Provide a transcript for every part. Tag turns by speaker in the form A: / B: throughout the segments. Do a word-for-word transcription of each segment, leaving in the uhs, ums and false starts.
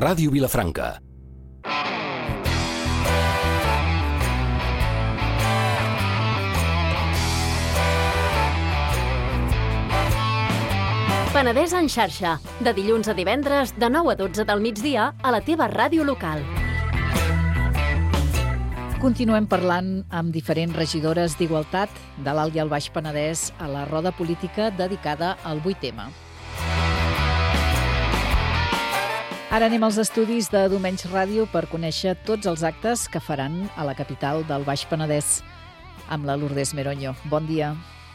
A: Ràdio Vilafranca.
B: Penedès en xarxa, de dilluns a divendres, de nou a dotze del migdia, a la teva ràdio local.
C: Continuem parlant amb diferents regidores d'Igualtat de l'Alt i el Baix Penedès a la roda política dedicada al vuit ema. Ara anem als estudis de Domenys Ràdio per conèixer tots els actes que faran a la capital del Baix Penedès amb la Lourdes Meroño. Bon dia.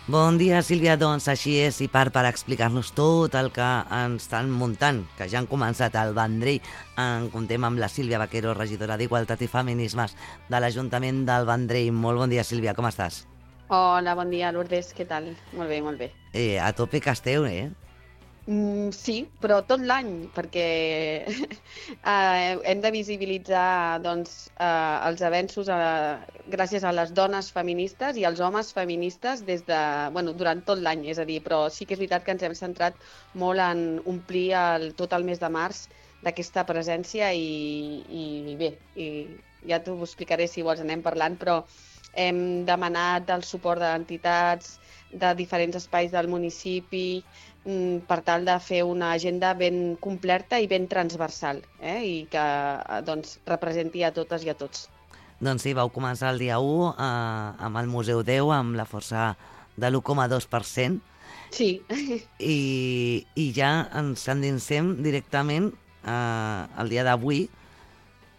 D: Bon dia, Sílvia. Doncs així és, i part per explicar-nos tot el que ens estan muntant, que ja han començat al Vendrell. En contem amb la Sílvia Vaquero, regidora d'Igualtat i Feminismes de l'Ajuntament del Vendrell. Molt bon dia, Sílvia, com estàs?
E: Hola, bon dia, Lourdes, què tal? Molt bé, molt bé.
D: Eh, a tope que esteu, eh?
E: Mm, sí, però tot l'any, perquè eh, hem de visibilitzar doncs, eh, els avenços eh, gràcies a les dones feministes i als homes feministes des de, bueno, durant tot l'any, és a dir, però sí que és veritat que ens hem centrat molt en omplir el, tot el mes de març d'aquesta presència i, i bé, i ja t'ho explicaré si vols, anem parlant, però hem demanat el suport d'entitats, de diferents espais del municipi, per tal de fer una agenda ben completa i ben transversal, eh? I que doncs, representi a totes i a tots.
D: Doncs sí, vau començar el dia u eh, amb el Museu deu, amb la força de l'u coma dos per cent.
E: Sí.
D: I, i ja ens endinsem directament eh, el dia d'avui,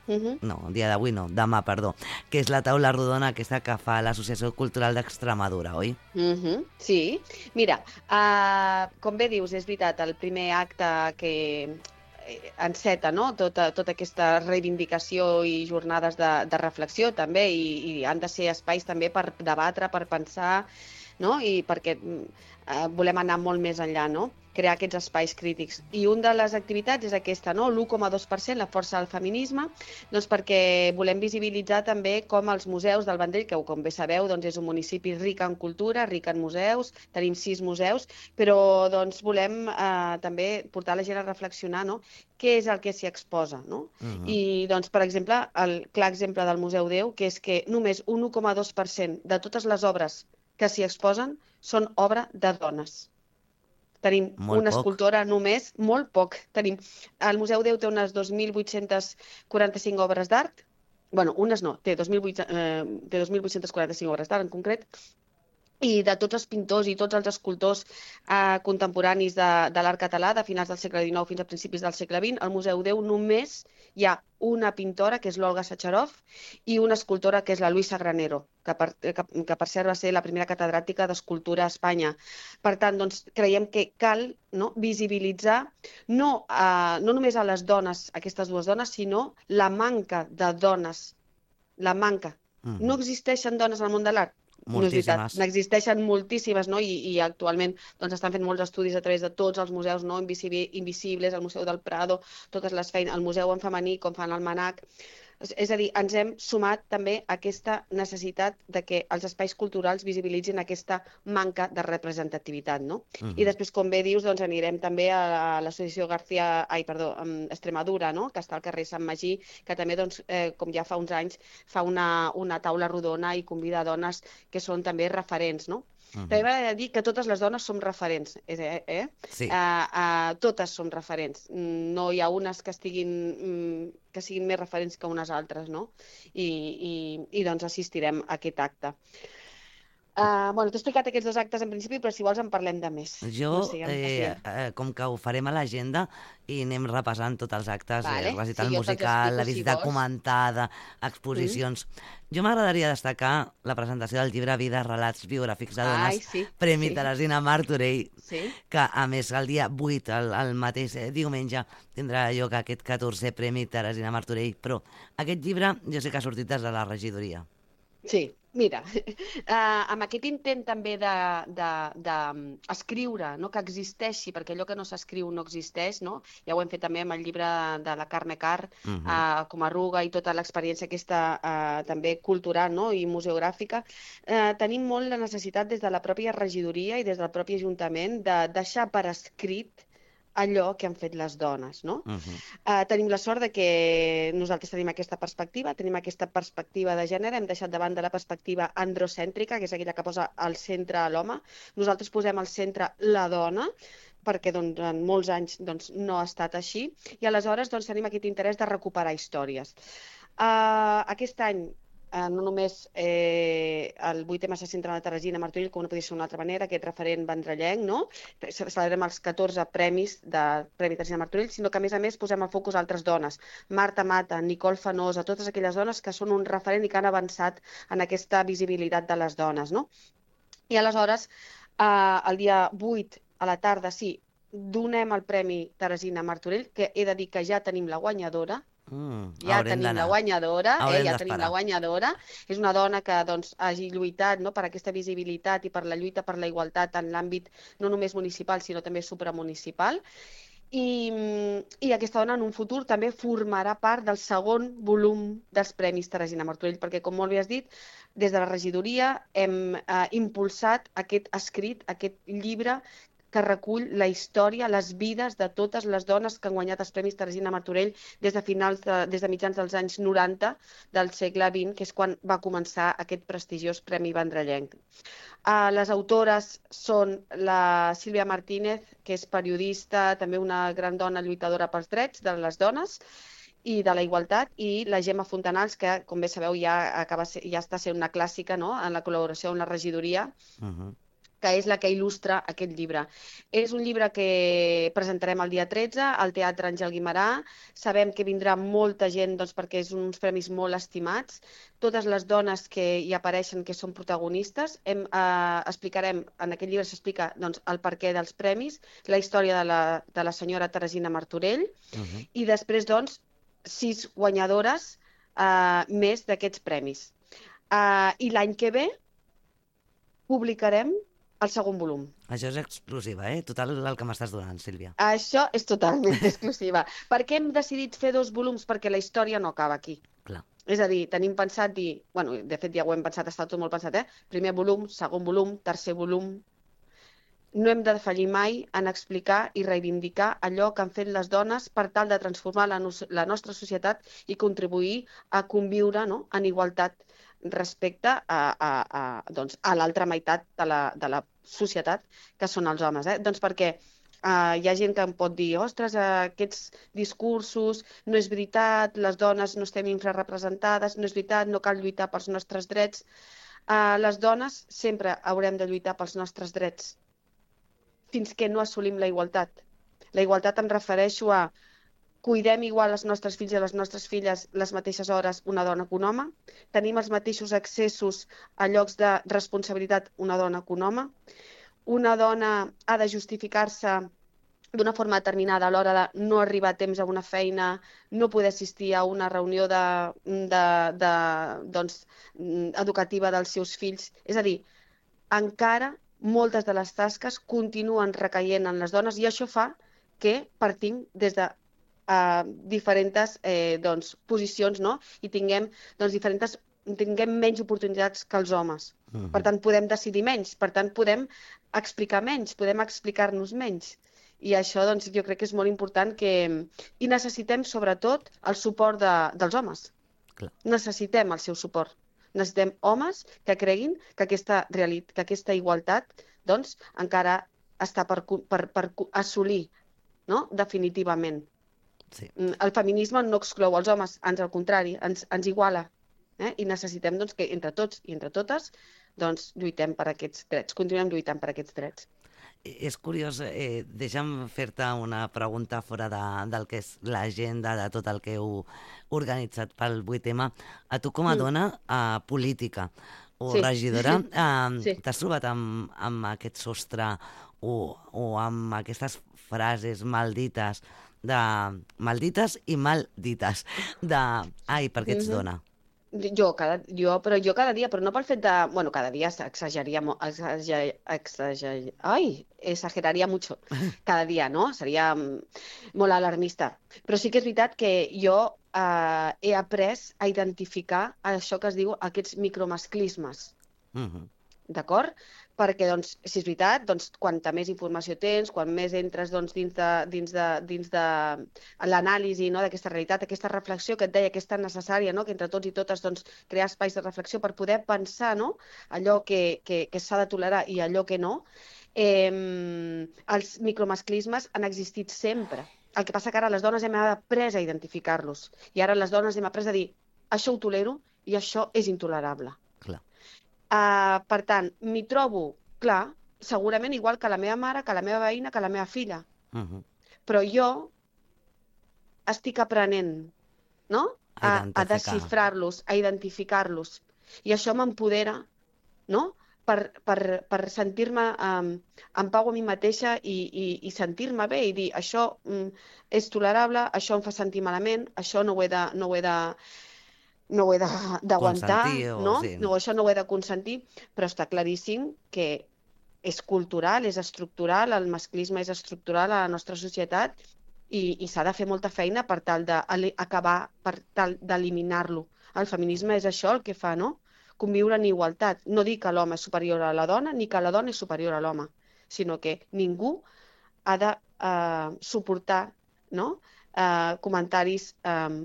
E: Uh-huh.
D: no, el dia d'avui no, demà, perdó, que és la taula rodona aquesta que fa l'Associació Cultural d'Extremadura, oi?
E: Uh-huh. Sí. Mira, uh, com bé dius, és veritat, el primer acte que enceta, no? tota, tota aquesta reivindicació i jornades de, de reflexió també, i, i han de ser espais també per debatre, per pensar, no? I perquè uh, volem anar molt més enllà, no? Crear aquests espais crítics. I una de les activitats és aquesta, no? l'u coma dos per cent, la força del feminisme, doncs perquè volem visibilitzar també com els museus del Vendrell, que com bé sabeu doncs és un municipi ric en cultura, ric en museus, tenim sis museus, però doncs volem eh, també portar la gent a reflexionar, no? Què és el que s'hi exposa, no? Uh-huh. I doncs, per exemple, el clar exemple del Museu deu, que és que només un u coma dos per cent de totes les obres que s'hi exposen són obra de dones. Tenim
D: molt
E: una
D: poc.
E: escultora només, molt poc. Tenim, el Museu deu té unes dos mil vuit-centes quaranta-cinc obres d'art. Bueno, unes no, té dos mil vuit-centes quaranta-cinc obres d'art en concret. I de tots els pintors i tots els escultors eh, contemporanis de, de l'art català, de finals del segle dinou fins a principis del segle vint, al Museu deu només hi ha una pintora, que és l'Olga Sacharov, i una escultora, que és la Luisa Granero, que per, que, que per cert va ser la primera catedràtica d'escultura a Espanya. Per tant, doncs, creiem que cal, no, visibilitzar no, eh, no només a les dones, aquestes dues dones, sinó la manca de dones. La manca. Mm. No existeixen dones al món de l'art?
D: Moltíssimes.
E: N'existeixen moltíssimes, no? I, i actualment doncs, estan fent molts estudis a través de tots els museus, no? Invisibles, el Museu del Prado, totes les feines, el museu en femení, com fan el MANAC. És a dir, ens hem sumat també a aquesta necessitat de que els espais culturals visibilitzin aquesta manca de representativitat, no? Uh-huh. I després, com bé dius, doncs anirem també a l'associació García, ai, perdó, Extremadura, no? Que està al carrer Sant Magí, que també, doncs, eh, com ja fa uns anys, fa una, una taula rodona i convida a dones que són també referents, no? Uh-huh. També m'agradaria dir que totes les dones som referents, eh? eh?
D: Sí.
E: Uh, uh, totes som referents. No hi ha unes que estiguin que siguin més referents que unes altres, no? I, i, i doncs assistirem a aquest acte. Uh, bueno, t'he explicat aquests dos actes en principi, però si vols en parlem de més.
D: Jo,
E: no sé,
D: eh, eh, com que ho farem a l'agenda i anem repassant tots els actes,
E: vale.
D: el recital
E: sí,
D: musical, la visita
E: si
D: comentada, exposicions... Mm. Jo m'agradaria destacar la presentació del llibre Vida, relats biogràfics de dones,
E: Ai, sí,
D: Premi
E: sí.
D: Teresina Martorell,
E: sí.
D: que a més el dia vuit, el, el mateix eh, diumenge, tindrà lloc aquest catorzè Premi Teresina Martorell, però aquest llibre jo sé que ha sortit des de la regidoria.
E: Sí, mira, uh, amb aquest intent també d'escriure, no? Que existeixi, perquè allò que no s'escriu no existeix, no? Ja ho hem fet també amb el llibre de la Carme Carr, uh-huh. uh, com a Arruga, i tota l'experiència aquesta uh, també cultural, no? I museogràfica. Uh, tenim molt la necessitat des de la pròpia regidoria i des del propi Ajuntament de deixar per escrit allò que han fet les dones, no?
D: Uh -huh.
E: uh, tenim la sort de que nosaltres tenim aquesta perspectiva, tenim aquesta perspectiva de gènere, hem deixat de banda la perspectiva androcèntrica, que és aquella que posa al centre a l'home. Nosaltres posem al centre la dona, perquè doncs, durant molts anys doncs, no ha estat així, i aleshores doncs, tenim aquest interès de recuperar històries. Uh, aquest any Uh, no només eh, el vuit ema se centra en la Teresina Martorell, com no podia ser d'una altra manera, aquest referent vendrellenc, no? Celebrem els catorze premis de Premi Teresina Martorell, sinó que a més a més posem el focus a altres dones. Marta Mata, Nicole Fanosa, totes aquelles dones que són un referent i que han avançat en aquesta visibilitat de les dones, no? I aleshores, eh, el dia vuit a la tarda, sí, donem el Premi Teresina Martorell, que he de dir que ja tenim la guanyadora.
D: Mm,
E: ja tenim la guanyadora, eh, ja tenim la guanyadora. És una dona que doncs, hagi lluitat, no, per aquesta visibilitat i per la lluita per la igualtat en l'àmbit no només municipal, sinó també supramunicipal. I, I aquesta dona en un futur també formarà part del segon volum dels Premis Teresina Martorell, perquè, com molt bé has dit, des de la regidoria hem eh, impulsat aquest escrit, aquest llibre que recull la història, les vides de totes les dones que han guanyat els Premis Teresina Martorell des de finals de, des de mitjans dels anys noranta del segle vint, que és quan va començar aquest prestigiós Premi Vendrellenc. Uh, les autores són la Sílvia Martínez, que és periodista, també una gran dona lluitadora pels drets de les dones i de la igualtat, i la Gemma Fontanals, que, com bé sabeu, ja, acaba, ja està sent una clàssica, no?, en la col·laboració amb la regidoria, uh-huh. que és la que il·lustra aquest llibre. És un llibre que presentarem el dia tretze al Teatre Àngel Guimerà. Sabem que vindrà molta gent doncs, perquè és uns premis molt estimats. Totes les dones que hi apareixen, que són protagonistes, hem, eh, explicarem, en aquest llibre s'explica doncs, el perquè dels premis, la història de la, de la senyora Teresina Martorell, uh-huh. i després, doncs, sis guanyadores eh, més d'aquests premis. Eh, I l'any que ve publicarem el segon volum.
D: Això és exclusiva, eh? Total el que m'estàs donant, Sílvia.
E: Això és totalment exclusiva. Per què hem decidit fer dos volums? Perquè la història no acaba aquí.
D: Clar.
E: És a dir, tenim pensat dir... Bueno, de fet ja ho hem pensat, està tot molt pensat, eh? Primer volum, segon volum, tercer volum... No hem de defallir mai en explicar i reivindicar allò que han fet les dones per tal de transformar la, no la nostra societat i contribuir a conviure, no?, en igualtat respecte a, a, a, doncs, a l'altra meitat de la, de la societat, que són els homes. Eh? Doncs perquè eh, hi ha gent que em pot dir ostres, aquests discursos, no és veritat, les dones no estem infrarrepresentades, no és veritat, no cal lluitar pels nostres drets. Eh, les dones sempre haurem de lluitar pels nostres drets fins que no assolim la igualtat. La igualtat em refereixo a cuidem igual els nostres fills i les nostres filles les mateixes hores una dona que un home, tenim els mateixos accessos a llocs de responsabilitat una dona que un home, una dona ha de justificar-se d'una forma determinada a l'hora de no arribar a temps a una feina, no poder assistir a una reunió de, de, de, doncs, educativa dels seus fills. És a dir, encara moltes de les tasques continuen recaient en les dones i això fa que partim des de uh, diferents eh, doncs, posicions, no? I tinguem, doncs, diferents, tinguem menys oportunitats que els homes. Uh-huh. Per tant, podem decidir menys, per tant, podem explicar menys, podem explicar-nos menys. I això doncs, jo crec que és molt important que... I necessitem, sobretot, el suport de, dels homes. Clar. Necessitem el seu suport. Necessitem homes que creguin que aquesta, realitat, que aquesta igualtat doncs, encara està per, per, per assolir, no? Definitivament. Sí. El feminisme no exclou els homes, ans al contrari, ens, ens iguala. Eh? I necessitem doncs, que entre tots i entre totes doncs, lluitem per aquests drets, continuem lluitant per aquests drets.
D: És curiós, eh, deixa'm fer-te una pregunta fora de, del que és l'agenda de tot el que heu organitzat pel vuit ema. A tu com a dona eh, política o sí. regidora, eh, sí. t'has trobat amb, amb aquest sostre o, o amb aquestes frases maldites, de maldites i maldites, de ai, per què ets mm-hmm. dona?
E: Jo, cada, jo, però jo cada dia, però no pel fet de... Bueno, cada dia exageraria... Exager, exager, ai, exageraria mucho. Cada dia, no? Seria molt alarmista. Però sí que és veritat que jo eh, he après a identificar això que es diu aquests micromasclismes. Mm-hmm. D'acord? perquè, doncs, si és veritat, doncs, quanta més informació tens, quan més entres doncs, dins de, dins de, dins de l'anàlisi, no?, d'aquesta realitat, aquesta reflexió que et deia que és tan necessària, no?, que entre tots i totes doncs, crear espais de reflexió per poder pensar, no?, allò que, que, que s'ha de tolerar i allò que no, eh, els micromasclismes han existit sempre. El que passa que ara les dones hem après a identificar-los i ara les dones hem après a dir això ho tolero i això és intolerable.
D: Clar.
E: Uh, per tant, m'hi trobo, clar, segurament igual que la meva mare, que la meva veïna, que la meva filla.
D: Uh -huh.
E: Però jo estic aprenent, no?, a, a desxifrar-los, a identificar-los. I això m'empodera, no?, per, per, per sentir-me um, en pau a mi mateixa i, i, i sentir-me bé i dir això um, és tolerable, això em fa sentir malament, això no ho he de... No ho he de no ho he d'aguantar, no? Sí. No, això no ho he de consentir, però està claríssim que és cultural, és estructural, el masclisme és estructural a la nostra societat i, i s'ha de fer molta feina per tal d'acabar, per tal d'eliminar-lo. El feminisme és això el que fa, no? Conviure en igualtat. No dir que l'home és superior a la dona ni que la dona és superior a l'home, sinó que ningú ha de uh, suportar, no?, uh, comentaris uh,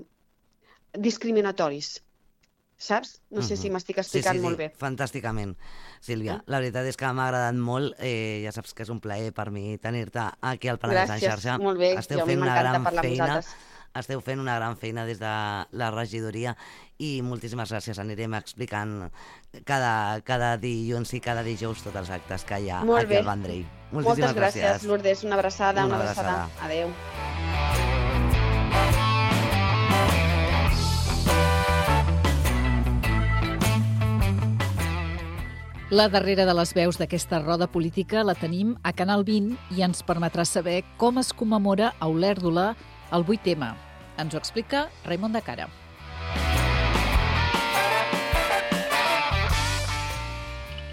E: discriminatoris, saps? No sé uh -huh. si m'estic explicant
D: sí, sí,
E: molt
D: sí.
E: bé.
D: Fantàsticament, Sílvia. La veritat és que m'ha agradat molt. Eh, ja saps que és un plaer per mi tenir-te aquí al Penedès en xarxa.
E: Gràcies, molt bé.
D: Esteu
E: jo
D: fent una gran
E: parlar
D: feina.
E: amb vosaltres.
D: Esteu fent una gran feina des de la regidoria i moltíssimes gràcies. Anirem explicant cada, cada dilluns i cada dijous tots els actes que hi ha
E: molt
D: aquí
E: bé.
D: al Vendrell.
E: Moltíssimes
D: Moltes
E: gràcies,
D: gràcies,
E: Lourdes. Una abraçada, una,
D: una
E: abraçada.
D: abraçada.
E: Adéu.
C: La darrera de les veus d'aquesta roda política la tenim a Canal vint i ens permetrà saber com es commemora a Olèrdola el vuit eme. Ens ho explica Raimon de Cara.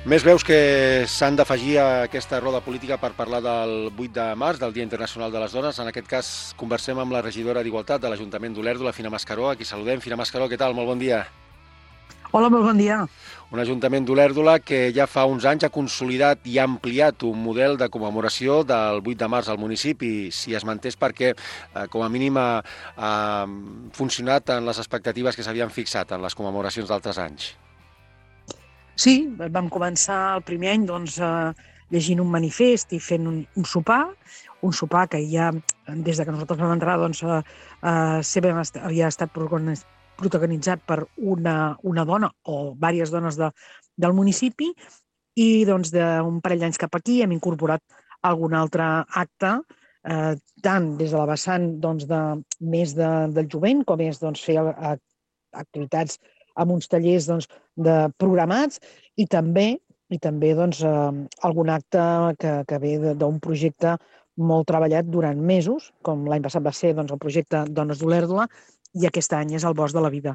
A: Més veus que s'han d'afegir a aquesta roda política per parlar del vuit de març, del Dia Internacional de les Dones. En aquest cas, conversem amb la regidora d'Igualtat de l'Ajuntament d'Olèrdola, Fina Mascaró. Aquí saludem. Fina Mascaró, què tal? Molt bon dia.
F: Hola, molt bon dia.
A: Un ajuntament d'Olèrdola que ja fa uns anys ha consolidat i ha ampliat un model de commemoració del vuit de març al municipi, si es mantés perquè, eh, com a mínim, ha, ha funcionat en les expectatives que s'havien fixat en les commemoracions d'altres anys.
F: Sí, vam començar el primer any doncs, eh, llegint un manifest i fent un, un sopar, un sopar que ja, des de que nosaltres vam entrar, doncs, eh, eh, sempre havia estat protagonitzat per una, una dona o diverses dones de, del municipi i doncs, d'un parell d'anys cap aquí hem incorporat algun altre acte, eh, tant des de la vessant doncs, de, més de, del jovent com és doncs, fer eh, activitats amb uns tallers doncs, de programats i també, i també doncs, eh, algun acte que, que ve d'un projecte molt treballat durant mesos, com l'any passat va ser doncs, el projecte Dones d'Olèrdola, i aquest any és el Bosc de la Vida.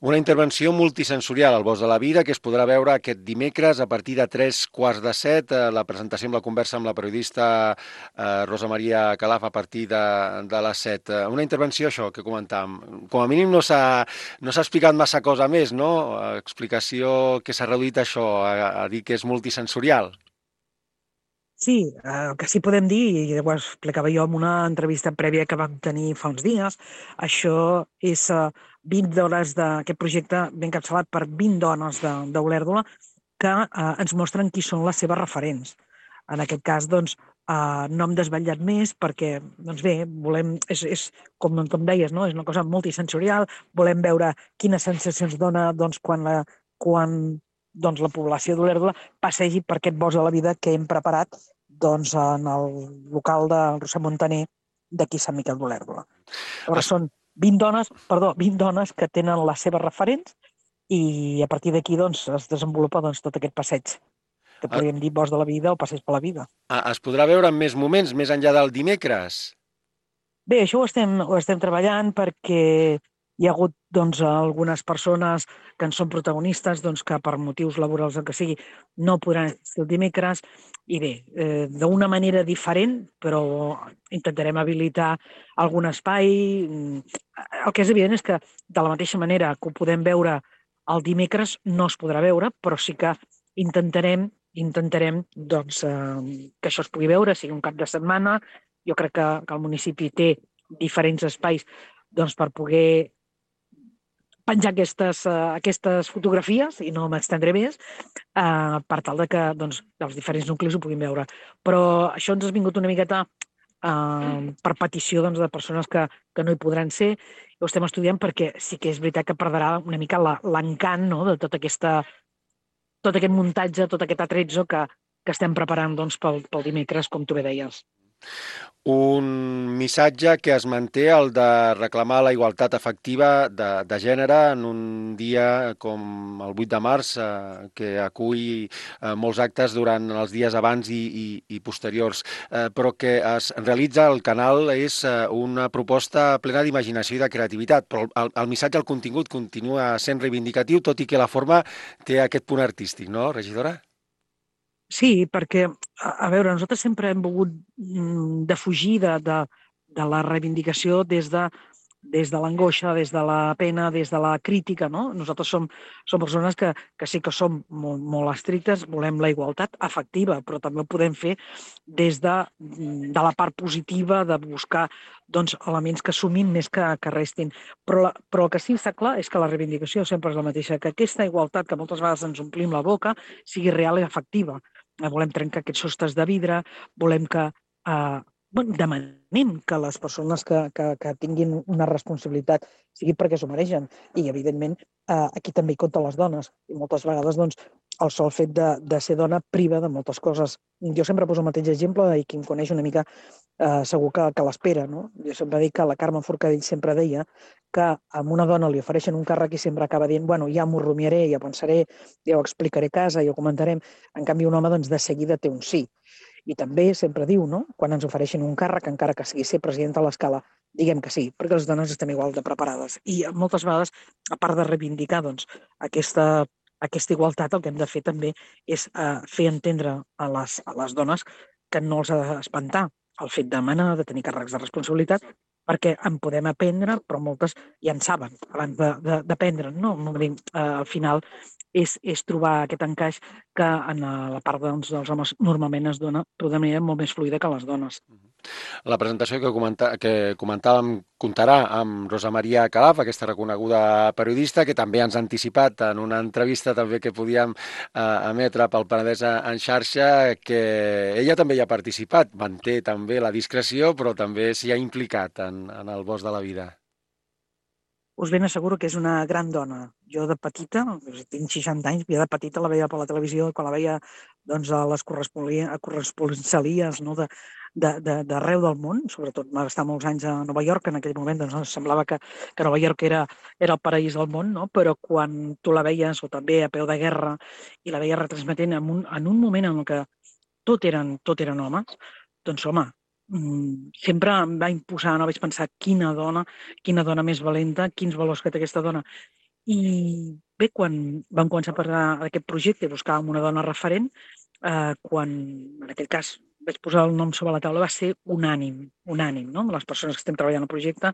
A: Una intervenció multisensorial al Bosc de la Vida que es podrà veure aquest dimecres a partir de tres quarts de set, la presentació amb la conversa amb la periodista eh, Rosa Maria Calaf a partir de, de les set. Una intervenció, això, que comentàvem. Com a mínim no s'ha no s'ha explicat massa cosa més, no? Explicació que s'ha reduït això, a, a dir que és multisensorial.
F: Sí, el que sí podem dir, i ho explicava jo en una entrevista prèvia que vam tenir fa uns dies, això és vint dones d'aquest projecte ben encapçalat per vint dones d'Olèrdola que eh, ens mostren qui són les seves referents. En aquest cas, doncs, eh, no hem desvetllat més perquè, doncs bé, volem, és, és com, com deies, no? És una cosa multisensorial, volem veure quines sensacions dona doncs, quan la, quan, doncs, la població d'Olèrdola passegi per aquest Bosc de la Vida que hem preparat doncs, en el local de Roser Montaner d'aquí Sant Miquel d'Olèrdola. Llavors són vint dones, perdó, vint dones que tenen les seves referents i a partir d'aquí doncs, es desenvolupa doncs, tot aquest passeig que podríem dir Bosc de la Vida o Passeig per la Vida.
A: Es podrà veure en més moments, més enllà del dimecres?
F: Bé, això ho estem, ho estem treballant perquè hi ha hagut doncs, algunes persones que en són protagonistes doncs, que per motius laborals el que sigui no podran ser el dimecres i bé, eh, d'una manera diferent, però intentarem habilitar algun espai. El que és evident és que de la mateixa manera que ho podem veure el dimecres no es podrà veure, però sí que intentarem intentarem doncs, eh, que això es pugui veure, sigui un cap de setmana. Jo crec que, que el municipi té diferents espais doncs, per poder penjar aquestes, uh, aquestes fotografies, i no m'estendré més, uh, per tal de que doncs, els diferents nuclis ho puguin veure. Però això ens ha vingut una miqueta uh, per petició doncs, de persones que, que no hi podran ser. Ho estem estudiant perquè sí que és veritat que perdrà una mica l'encant, no?, de tota aquesta, tot aquest muntatge, tot aquest atrezzo que, que estem preparant doncs, pel, pel dimecres, com tu bé deies.
A: Un missatge que es manté, el de reclamar la igualtat efectiva de, de gènere en un dia com el vuit de març, eh, que acull eh, molts actes durant els dies abans i, i, i posteriors, eh, però que es realitza al canal és eh, una proposta plena d'imaginació i de creativitat, però el, el missatge, el contingut, continua sent reivindicatiu, tot i que la forma té aquest punt artístic, no, regidora?
F: Sí, perquè, a, a veure, nosaltres sempre hem volgut mm, defugir de, de, de la reivindicació des de, des de l'angoixa, des de la pena, des de la crítica, no? Nosaltres som, som persones que, que sí que som molt, molt estrictes, volem la igualtat efectiva, però també ho podem fer des de, de la part positiva, de buscar doncs, elements que sumin més que, que restin. Però, la, però el que sí està clar és que la reivindicació sempre és la mateixa, que aquesta igualtat que moltes vegades ens omplim la boca sigui real i efectiva. Volem trencar aquests sostres de vidre, volem que eh, bueno, demanem que les persones que, que, que tinguin una responsabilitat sigui perquè s'ho mereixen. I, evidentment, eh, aquí també hi compten les dones. I moltes vegades doncs, el sol fet de, de ser dona priva de moltes coses. Jo sempre poso el mateix exemple i qui em coneix una mica eh, segur que, que l'espera. No? Jo sempre dic que la Carme Forcadell sempre deia que a una dona li ofereixen un càrrec i sempre acaba dient bueno, ja m'ho rumiaré, ja pensaré, ja ho explicaré a casa, ja ho comentarem. En canvi, un home doncs, de seguida té un sí. I també sempre diu, no? Quan ens ofereixen un càrrec, encara que sigui ser presidenta a l'escala, diguem que sí, perquè les dones estem igual de preparades. I moltes vegades, a part de reivindicar doncs, aquesta, aquesta igualtat, el que hem de fer també és eh, fer entendre a les, a les dones que no els ha d'espantar el fet de manar, de tenir càrrecs de responsabilitat, perquè en podem aprendre, però moltes ja en saben abans d'aprendre, no? Eh, al final és, és trobar aquest encaix que en la part doncs, dels homes normalment es dona d'una manera molt més fluida que les dones.
A: La presentació que, comenta, que comentàvem comptarà amb Rosa Maria Calaf, aquesta reconeguda periodista, que també ens ha anticipat en una entrevista també que podíem eh, emetre pel Penedès en xarxa, que ella també hi ha participat, manté també la discreció, però també s'hi ha implicat en, en el bosc de la vida.
F: Us ben asseguro que és una gran dona. Jo de petita, tinc seixanta anys, jo de petita la veia per la televisió, quan la veia doncs, a les corresponsalies no, de, d'arreu del món, sobretot va estar molts anys a Nova York, en aquell moment doncs, semblava que, que Nova York era, era el paraís del món, no? Però quan tu la veies, o també a peu de guerra, i la veies retransmetent en un, en un moment en què tot eren, tot eren homes, doncs home, sempre em va imposar, no vaig pensar quina dona, quina dona més valenta, quins valors que té aquesta dona. I bé, quan vam començar a parlar d'aquest projecte, buscàvem una dona referent, eh, quan en aquell cas vaig posar el nom sobre la taula, va ser unànim, unànim, no? Les persones que estem treballant al projecte,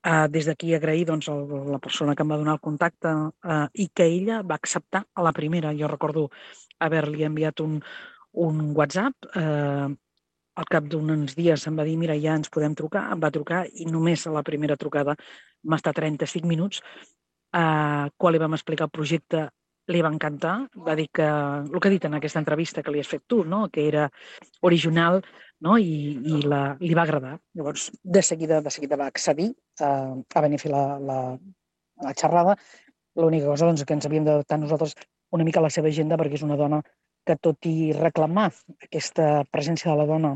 F: eh, des d'aquí agrair doncs, el, la persona que em va donar el contacte eh, i que ella va acceptar a la primera. Jo recordo haver-li enviat un, un WhatsApp, eh, al cap d'uns dies em va dir, mira, ja ens podem trucar, em va trucar i només a la primera trucada va estar trenta-cinc minuts, eh, quan li vam explicar el projecte li va encantar, va dir que, el que ha dit en aquesta entrevista que li has fet tu, no? Que era original, no? I, i la, li va agradar. Llavors, de seguida, de seguida va accedir a, a venir a fer la, la, la xerrada. L'única cosa doncs, que ens havíem d'adaptar nosaltres una mica a la seva agenda, perquè és una dona que tot i reclamar aquesta presència de la dona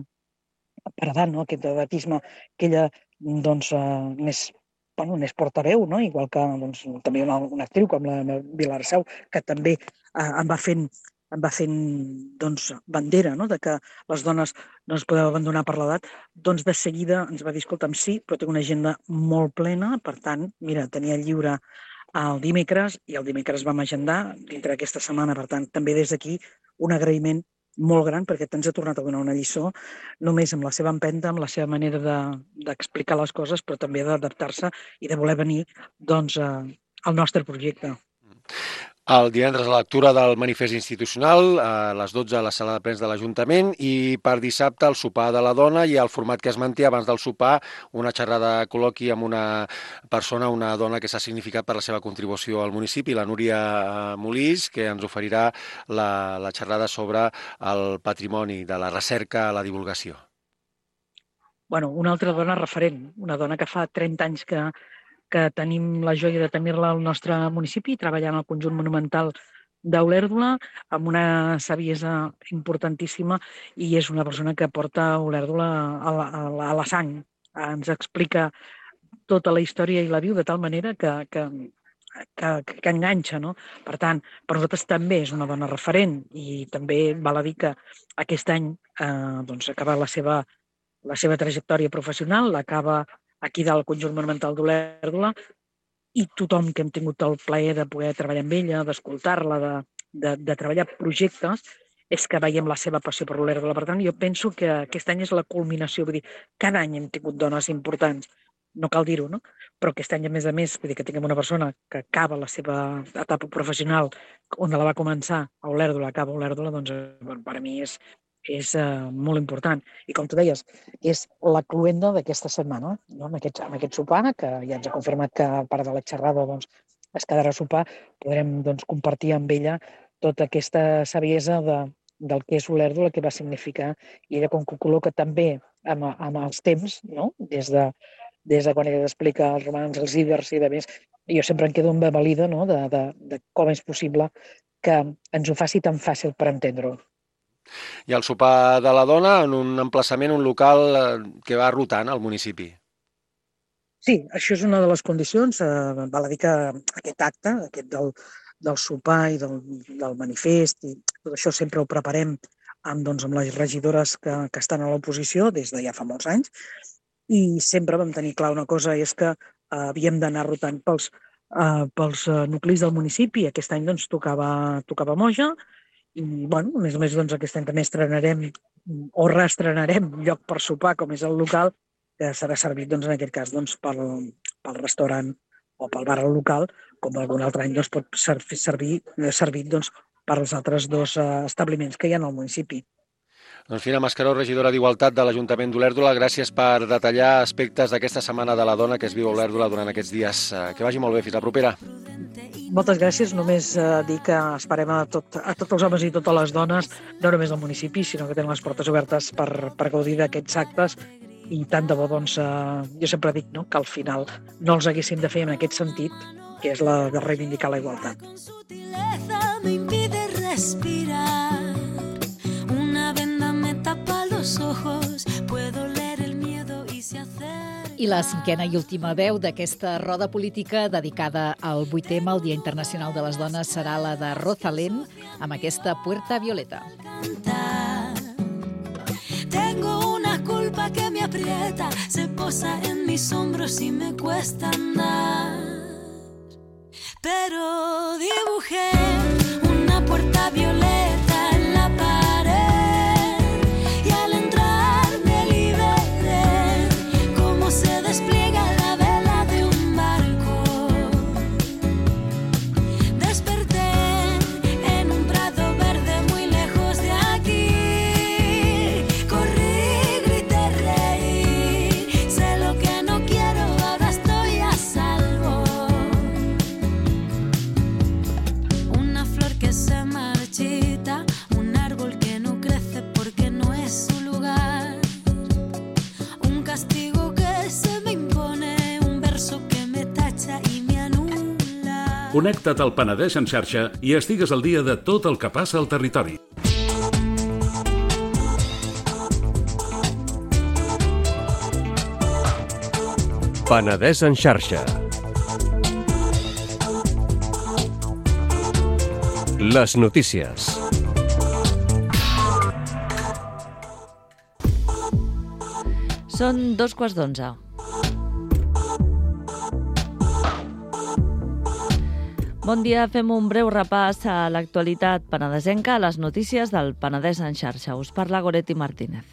F: per edat, no? Aquest edatisme que ella doncs, eh, n'és bueno, n'és portaveu, no? Igual que doncs, també una, una actriu com la Vilar Seu, que també eh, em va fent, em va fent doncs, bandera, no? De que les dones no es podeu abandonar per l'edat, doncs de seguida ens va dir, escolta'm, sí, però tinc una agenda molt plena, per tant, mira, tenia lliure el dimecres i el dimecres vam agendar dintre d'aquesta setmana, per tant, també des d'aquí un agraïment molt gran perquè ens ha tornat a donar una lliçó només amb la seva empenta, amb la seva manera d'explicar de, les coses, però també d'adaptar-se i de voler venir doncs, a, al nostre projecte.
A: El divendres la lectura del manifest institucional a les dotze a la sala de plens de l'Ajuntament i per dissabte el sopar de la dona i el format que es manté abans del sopar, una xerrada col·loqui amb una persona, una dona que s'ha significat per la seva contribució al municipi, la Núria Molís, que ens oferirà la, la xerrada sobre el patrimoni de la recerca a la divulgació.
F: Bueno, una altra dona referent, una dona que fa trenta anys que que tenim la joia de tenir-la al nostre municipi, treballant al conjunt monumental d'Olèrdola, amb una saviesa importantíssima, i és una persona que porta Olèrdola a la, a la, a la sang. Ens explica tota la història i la viu de tal manera que, que, que, que enganxa, no? Per tant, per nosaltres també és una dona referent, i també val a dir que aquest any eh, doncs, acaba la seva, la seva trajectòria professional, l'acaba aquí del conjunt monumental d'Olèrdola, i tothom que hem tingut el plaer de poder treballar amb ella, d'escoltar-la, de, de, de treballar projectes, és que veiem la seva passió per Olèrdola. Per tant, jo penso que aquest any és la culminació. Vull dir, cada any hem tingut dones importants, no cal dir-ho, no? Però aquest any, a més a més, vull dir que tinguem una persona que acaba la seva etapa professional, on la va començar a Olèrdola, acaba a Olèrdola, doncs bueno, per a mi és és uh, molt important. I com tu deies, és la cluenda d'aquesta setmana, no? amb, aquest, amb aquest sopar, que ja ens ha confirmat que a part de la xerrada doncs, es quedarà a sopar, podrem doncs, compartir amb ella tota aquesta saviesa de, del que és Olèrdola, que va significar, i ella com que ho col·loca també amb, amb els temps, no? des, de, des de quan ella explica els romans, els íbers i de més, jo sempre em quedo embadalida, no? de, de, de com és possible que ens ho faci tan fàcil per entendre-ho.
A: I el sopar de la dona en un emplaçament, un local que va rotant al municipi.
F: Sí, això és una de les condicions. Eh, val a dir que aquest acte, aquest del, del sopar i del, del manifest, i tot això sempre ho preparem amb, doncs, amb les regidores que, que estan a l'oposició des de ja fa molts anys, i sempre vam tenir clar una cosa, és que eh, havíem d'anar rotant pels, eh, pels nuclis del municipi. Aquest any doncs, tocava, tocava Moja, i, bueno, a més a més, doncs, aquest any també estrenarem o reestrenarem lloc per sopar, com és el local, que serà servit, doncs, en aquest cas, doncs, pel, pel restaurant o pel bar local, com algun altre any doncs, pot ser, servir, servit doncs, per als altres dos uh, establiments que hi ha al municipi.
A: Doncs Fina Mascaró, regidora d'Igualtat de l'Ajuntament d'Olèrdola, gràcies per detallar aspectes d'aquesta Setmana de la Dona que es viu a Olèrdola durant aquests dies. Que vagi molt bé, fins la propera.
F: Moltes gràcies. Només eh, dir que esperem a, tot, a tots els homes i totes les dones, no només del municipi, sinó que tenen les portes obertes per, per gaudir d'aquests actes, i tant de bo, doncs, eh, jo sempre dic, no?, que al final no els haguéssim de fer en aquest sentit, que és la de reivindicar la igualtat.
G: Me impide respirar. Una venda me tapa los ojos. Puedo leer el miedo y se hace.
C: I la cinquena i última veu d'aquesta roda política dedicada al vuit eme, el Dia Internacional de les Dones, serà la de Rosalén, amb aquesta Puerta Violeta.
G: Tengo una culpa que me aprieta, se posa en mis hombros y me cuesta andar. Pero dibujé una puerta violeta en la pared y al entrar me liberé, como se despliega la vela de un barco. Desperté en un prado verde muy lejos de aquí. Corrí, grité, reí, sé lo que no quiero, ahora estoy a salvo. Una flor que se marchita, un árbol que no crece porque no es su lugar, un castigo que se me impone, un verso que me tacha y me anula.
H: Connecta't al Penedès en xarxa i estigues al dia de tot el que passa al territori.
I: Penedès en xarxa. Les notícies.
J: Són dos quarts d'onze. Bon dia, fem un breu repàs a l'actualitat penedesenca, a les notícies del Penedès en xarxa. Us parla Goretti Martínez.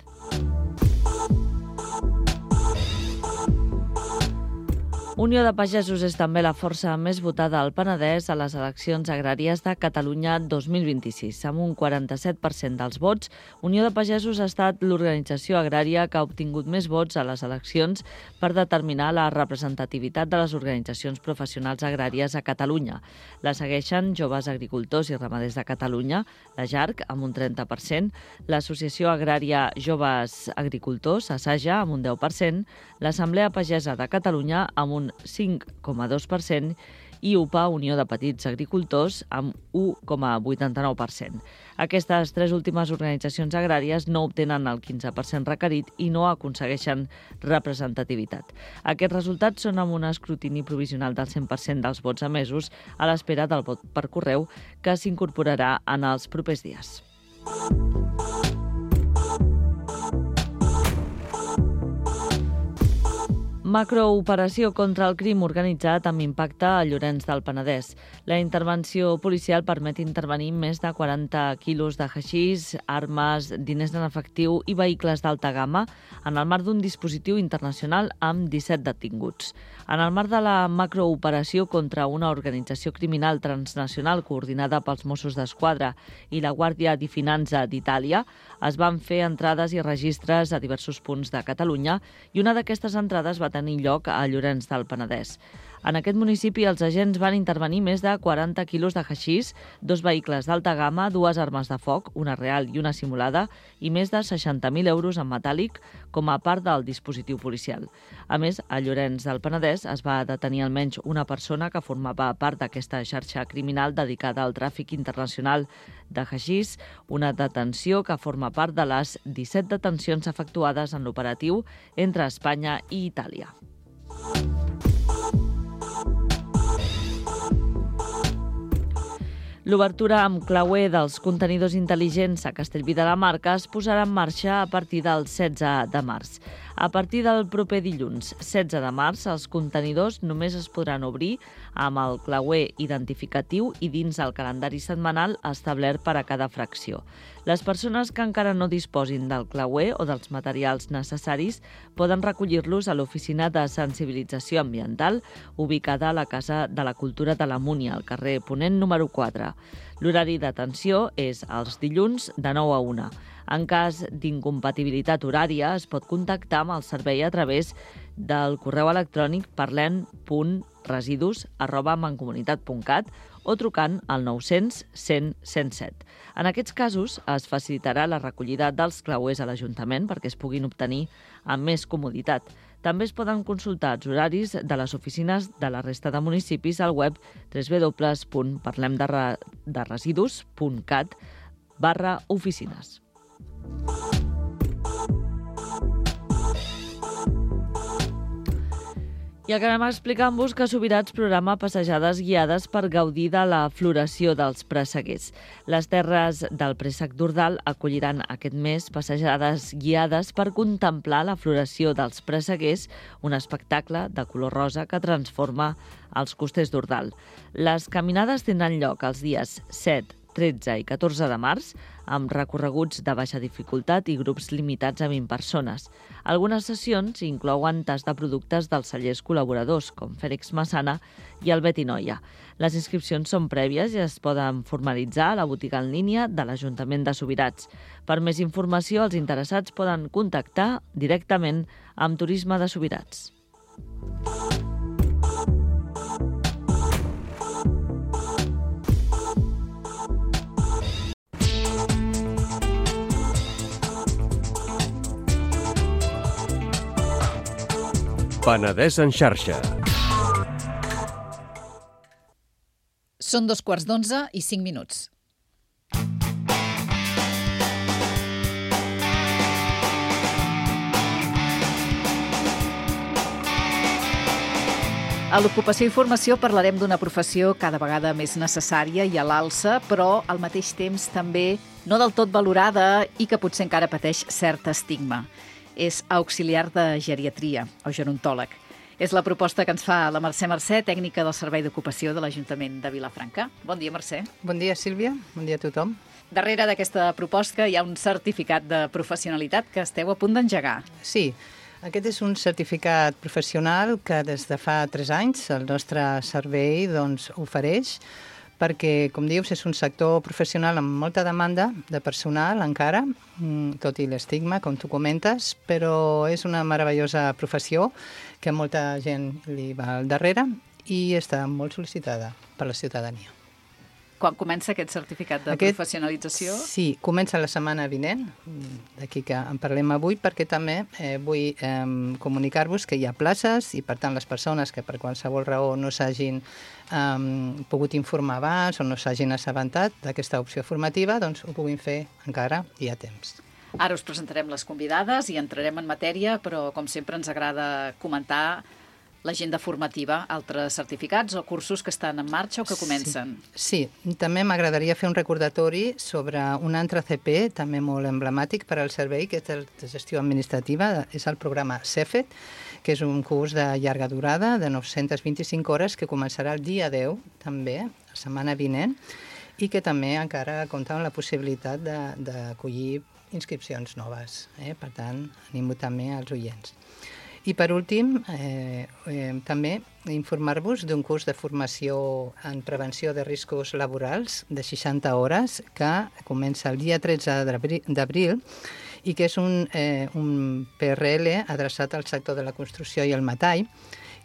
J: Unió de Pagesos és també la força més votada al Penedès a les eleccions agràries de Catalunya dos mil vint-i-sis. Amb un quaranta-set per cent dels vots, Unió de Pagesos ha estat l'organització agrària que ha obtingut més vots a les eleccions per determinar la representativitat de les organitzacions professionals agràries a Catalunya. La segueixen Joves Agricultors i Ramaders de Catalunya, la J A R C, amb un trenta per cent, l'Associació Agrària Joves Agricultors, ASAJA, amb un deu per cent, l'Assemblea Pagesa de Catalunya, amb un cinc coma dos per cent, i U P A, Unió de Petits Agricultors, amb u coma vuitanta-nou per cent. Aquestes tres últimes organitzacions agràries no obtenen el quinze per cent requerit i no aconsegueixen representativitat. Aquests resultats són amb un escrutini provisional del cent per cent dels vots emesos a l'espera del vot per correu, que s'incorporarà en els propers dies. Macrooperació contra el crim organitzat amb impacte a Llorenç del Penedès. La intervenció policial permet intervenir més de quaranta quilos de haixís, armes, diners en efectiu i vehicles d'alta gamma en el marc d'un dispositiu internacional amb disset detinguts. En el marc de la macrooperació contra una organització criminal transnacional coordinada pels Mossos d'Esquadra i la Guàrdia di Finanza d'Itàlia, es van fer entrades i registres a diversos punts de Catalunya i una d'aquestes entrades va tenir lloc a Llorenç del Penedès. En aquest municipi els agents van intervenir més de quaranta quilos de haixís, dos vehicles d'alta gamma, dues armes de foc, una real i una simulada, i més de seixanta mil euros en metàl·lic com a part del dispositiu policial. A més, a Llorenç del Penedès es va detenir almenys una persona que formava part d'aquesta xarxa criminal dedicada al tràfic internacional de haixís, una detenció que forma part de les disset detencions efectuades en l'operatiu entre Espanya i Itàlia. L'obertura amb clauer dels contenidors intel·ligents a Castellví de la Marca es posarà en marxa a partir del setze de març. A partir del proper dilluns, setze de març, els contenidors només es podran obrir amb el clauer identificatiu i dins el calendari setmanal establert per a cada fracció. Les persones que encara no disposin del clauer o dels materials necessaris poden recollir-los a l'Oficina de Sensibilització Ambiental, ubicada a la Casa de la Cultura de la Múnia, al carrer Ponent número quatre. L'horari d'atenció és els dilluns de nou a una. En cas d'incompatibilitat horària, es pot contactar amb el servei a través del correu electrònic parlem punt residus arroba mancomunitat punt cat o trucant al nou-cents cent cent set. En aquests casos, es facilitarà la recollida dels clauers a l'Ajuntament perquè es puguin obtenir amb més comoditat. També es poden consultar els horaris de les oficines de la resta de municipis al web w w w punt parlem de residus punt cat barra oficines. I acabem explicant-vos que Subirats programa passejades guiades per gaudir de la floració dels presseguers. Les terres del préssec d'Ordal acolliran aquest mes passejades guiades per contemplar la floració dels presseguers, un espectacle de color rosa que transforma els costers d'Ordal. Les caminades tindran lloc els dies set, tretze i catorze de març, amb recorreguts de baixa dificultat i grups limitats a vint persones. Algunes sessions inclouen tas de productes dels cellers col·laboradors, com Fèlix Massana i el Betinoia. Les inscripcions són prèvies i es poden formalitzar a la botiga en línia de l'Ajuntament de Subirats. Per més informació, els interessats poden contactar directament amb Turisme de Subirats.
I: Penedès en xarxa.
C: Són dos quarts d'onze i cinc minuts. A l'ocupació i formació parlarem d'una professió cada vegada més necessària i a l'alça, però al mateix temps també no del tot valorada i que potser encara pateix cert estigma. És auxiliar de geriatria o gerontòleg. És la proposta que ens fa la Mercè Mercè, tècnica del Servei d'Ocupació de l'Ajuntament de Vilafranca. Bon dia, Mercè.
K: Bon dia, Sílvia. Bon dia a tothom.
C: Darrere d'aquesta proposta hi ha un certificat de professionalitat que esteu a punt d'engegar.
K: Sí. Aquest és un certificat professional que des de fa tres anys el nostre servei doncs, ofereix perquè, com dius, és un sector professional amb molta demanda de personal encara, tot i l'estigma, com tu comentes, però és una meravellosa professió que molta gent li va al darrere i està molt sol·licitada per la ciutadania.
C: Quan comença aquest certificat de aquest, professionalització?
K: Sí, comença la setmana vinent, d'aquí que en parlem avui, perquè també eh, vull eh, comunicar-vos que hi ha places i, per tant, les persones que per qualsevol raó no s'hagin eh, pogut informar abans o no s'hagin assabentat d'aquesta opció formativa, doncs ho puguin fer encara, hi ha temps.
C: Ara us presentarem les convidades i entrarem en matèria, però, com sempre, ens agrada comentar l'agenda formativa, altres certificats o cursos que estan en marxa o que comencen.
K: Sí, sí. També m'agradaria fer un recordatori sobre un altre C P, també molt emblemàtic per al servei, que és el de gestió administrativa, és el programa CEFET, que és un curs de llarga durada, de nou-centes vint-i-cinc hores, que començarà el dia deu, també, la setmana vinent, i que també encara compta amb la possibilitat d'acollir inscripcions noves. Eh? Per tant, animo també als oients. I per últim, eh, eh, també informar-vos d'un curs de formació en prevenció de riscos laborals de seixanta hores que comença el dia tretze d'abril i que és un, eh, un P R L adreçat al sector de la construcció i el metall,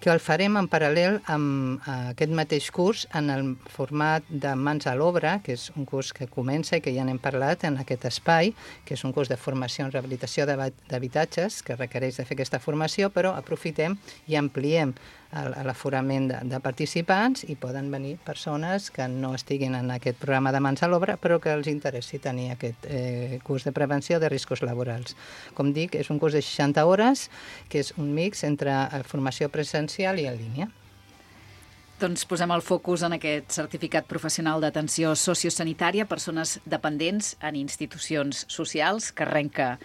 K: que el farem en paral·lel amb aquest mateix curs en el format de Mans a l'Obra, que és un curs que comença i que ja n'hem parlat en aquest espai, que és un curs de formació en rehabilitació d'habitatges que requereix de fer aquesta formació, però aprofitem i ampliem l'aforament de, de participants i poden venir persones que no estiguin en aquest programa de Mans a l'Obra, però que els interessi tenir aquest eh, curs de prevenció de riscos laborals. Com dic, és un curs de seixanta hores, que és un mix entre formació presencial i en línia.
C: Doncs posem el focus en aquest certificat professional d'atenció sociosanitària a persones dependents en institucions socials, que arrenca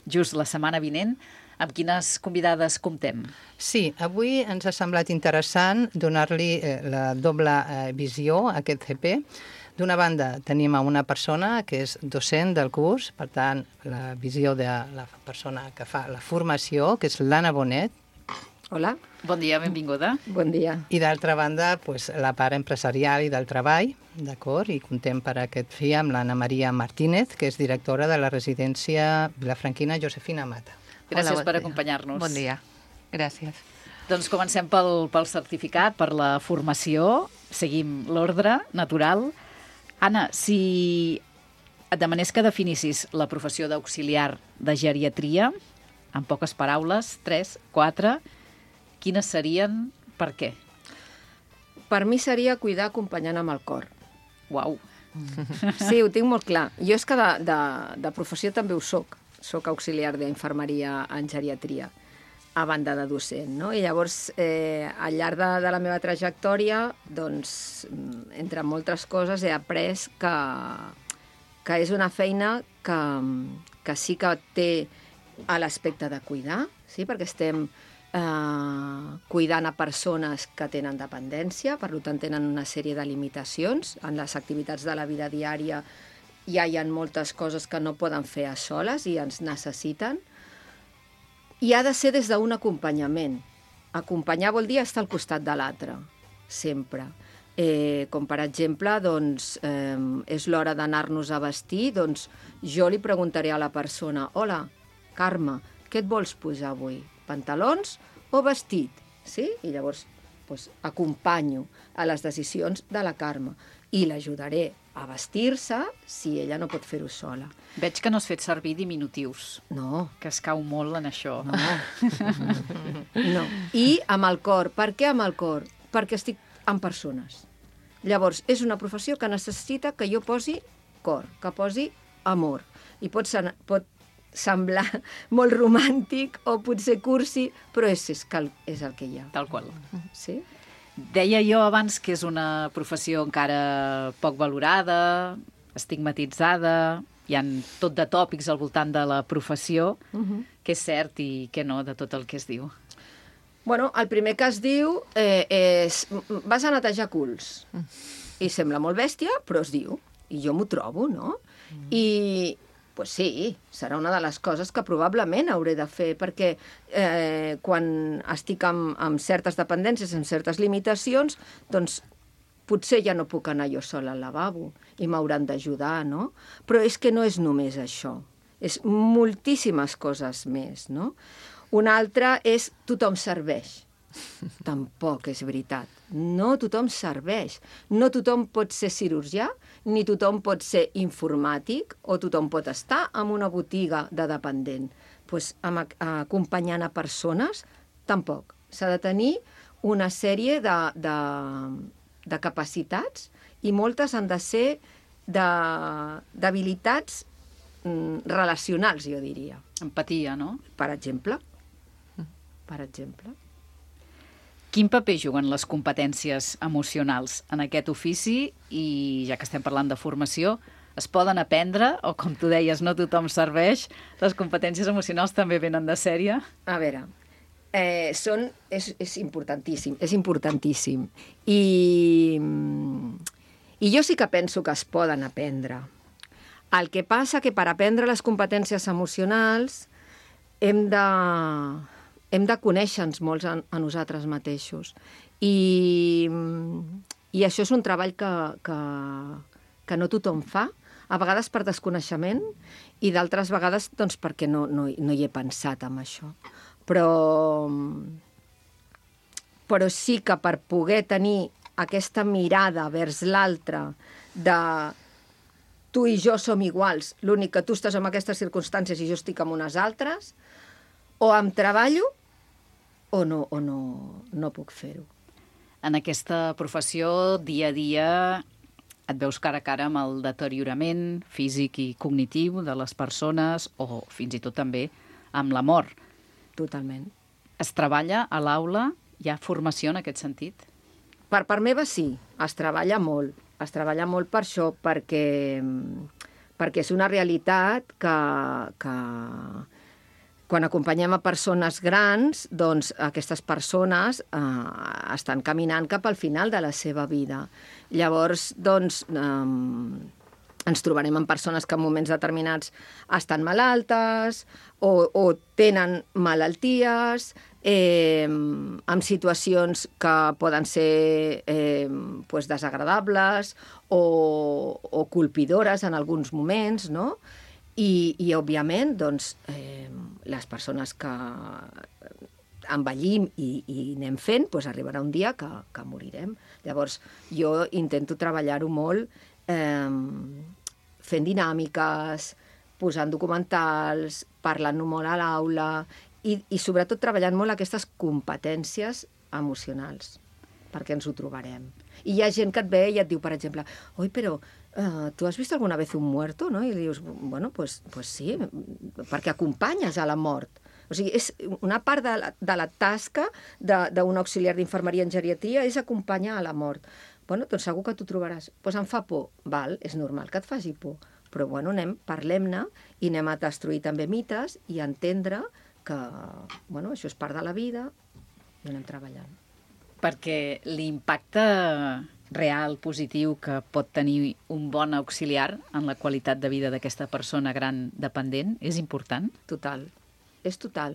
C: just la setmana vinent. Amb quines convidades comptem?
K: Sí, avui ens ha semblat interessant donar-li eh, la doble eh, visió a aquest C P. D'una banda, tenim a una persona que és docent del curs, per tant, la visió de la persona que fa la formació, que és l'Anna Bonet.
L: Hola.
C: Bon dia, benvinguda.
L: Bon dia.
K: I d'altra banda, pues, la part empresarial i del treball, d'acord? I contem per aquest fi amb l'Anna Maria Martínez, que és directora de la residència vilafranquina Josefina Mata.
C: Gràcies
L: Hola, bon
C: per
L: dia.
C: acompanyar-nos.
L: Bon dia. Gràcies.
C: Doncs comencem pel, pel certificat, per la formació. Seguim l'ordre natural. Anna, si et demanés que definissis la professió d'auxiliar de geriatria, en poques paraules, tres, quatre, quines serien, per què?
L: Per mi seria cuidar acompanyant amb el cor.
C: Uau.
L: Sí, ho tinc molt clar. Jo és que de, de, de professió també ho soc. Soc auxiliar d'infermeria en geriatria, a banda de docent, no? I llavors, eh, al llarg de, de la meva trajectòria, doncs, entre moltes coses, he après que, que és una feina que, que sí que té l'aspecte de cuidar, sí? Perquè estem eh, cuidant a persones que tenen dependència, per tant tenen una sèrie de limitacions en les activitats de la vida diària. Ja hi ha moltes coses que no poden fer a soles i ens necessiten. I ha de ser des d'un acompanyament. Acompanyar vol dir estar al costat de l'altre, sempre. Eh, com, per exemple, doncs, eh, és l'hora d'anar-nos a vestir, doncs jo li preguntaré a la persona: hola, Carme, què et vols posar avui? Pantalons o vestit? Sí? I llavors doncs, acompanyo a les decisions de la Carme i l'ajudaré a vestir-se si ella no pot fer-ho sola.
C: Veig que no has fet servir diminutius.
L: No.
C: Que es cau molt en això.
L: No. No. I amb el cor. Per què amb el cor? Perquè estic amb persones. Llavors, és una professió que necessita que jo posi cor, que posi amor. I pot, ser, pot semblar molt romàntic o potser cursi, però és, és, cal, és el que hi ha.
C: Tal qual.
L: Sí?
C: Deia jo abans que és una professió encara poc valorada, estigmatitzada, hi ha tot de tòpics al voltant de la professió, uh-huh. Què és cert i què no de tot el que es diu.
L: Bueno, el primer que es diu eh, és vas a netejar culs. I sembla molt bèstia, però es diu. I jo m'ho trobo, no? Mm. I Pues sí, serà una de les coses que probablement hauré de fer, perquè eh, quan estic amb, amb certes dependències, amb certes limitacions, doncs potser ja no puc anar jo sola al lavabo i m'hauran d'ajudar, no? Però és que no és només això, és moltíssimes coses més, no? Una altra és tothom serveix. Tampoc és veritat. No tothom serveix. No tothom pot ser cirurgià, ni tothom pot ser informàtic, o tothom pot estar en una botiga de dependent. Pues, amb, acompanyant a persones, tampoc. S'ha de tenir una sèrie de, de, de capacitats i moltes han de ser d'habilitats relacionals, jo diria.
C: Empatia, no?
L: Per exemple. Per exemple.
C: Quin paper juguen les competències emocionals en aquest ofici? I ja que estem parlant de formació, es poden aprendre, o com tu deies, no tothom serveix, les competències emocionals també venen de sèrie?
L: A veure, eh, són, és, és importantíssim, és importantíssim. I, I jo sí que penso que es poden aprendre. El que passa que per aprendre les competències emocionals hem de... hem de conèixer-nos molts a, a nosaltres mateixos. I, i això és un treball que, que, que no tothom fa, a vegades per desconeixement i d'altres vegades doncs, perquè no, no, no hi he pensat en això. Però, però sí que per poder tenir aquesta mirada vers l'altre de tu i jo som iguals, l'únic que tu estàs en aquestes circumstàncies i jo estic en unes altres, o em treballo o no, o no, no puc fer-ho.
C: En aquesta professió, dia a dia, et veus cara a cara amb el deteriorament físic i cognitiu de les persones o fins i tot també amb la mort.
L: Totalment.
C: Es treballa a l'aula? Hi ha formació en aquest sentit?
L: Per part meva sí, es treballa molt. Es treballa molt per això, perquè, perquè és una realitat que... que quan acompanyem a persones grans, doncs aquestes persones eh, estan caminant cap al final de la seva vida. Llavors, doncs, eh, ens trobarem amb persones que en moments determinats estan malaltes o, o tenen malalties, eh, en situacions que poden ser eh, pues desagradables o, o colpidores en alguns moments, no? I, i òbviament, doncs, eh, les persones que envellim i, i anem fent, doncs arribarà un dia que, que morirem. Llavors, jo intento treballar-ho molt eh, fent dinàmiques, posant documentals, parlant-ho molt a l'aula i, i sobretot treballant molt aquestes competències emocionals, perquè ens ho trobarem. I hi ha gent que et ve i et diu, per exemple, oi, però Uh, tu has vist alguna vez un muerto, no? I li dius, bueno, pues, pues sí, perquè acompanyes a la mort. O sigui, és una part de la, de la tasca d'un auxiliar d'infermeria en geriatria és acompanyar a la mort. Bueno, doncs segur que t'ho trobaràs. Doncs pues em fa por. Val, és normal que et faci por. Però, bueno, anem, parlem-ne i anem a destruir també mites i a entendre que, bueno, això és part de la vida i anem treballant.
C: Perquè l'impacte real, positiu, que pot tenir un bon auxiliar en la qualitat de vida d'aquesta persona gran dependent és important?
L: Total, és total.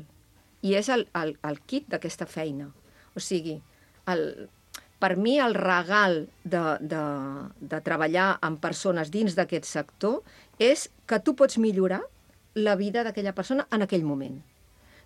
L: I és el, el, el kit d'aquesta feina. O sigui, el, per mi el regal de, de, de treballar amb persones dins d'aquest sector és que tu pots millorar la vida d'aquella persona en aquell moment.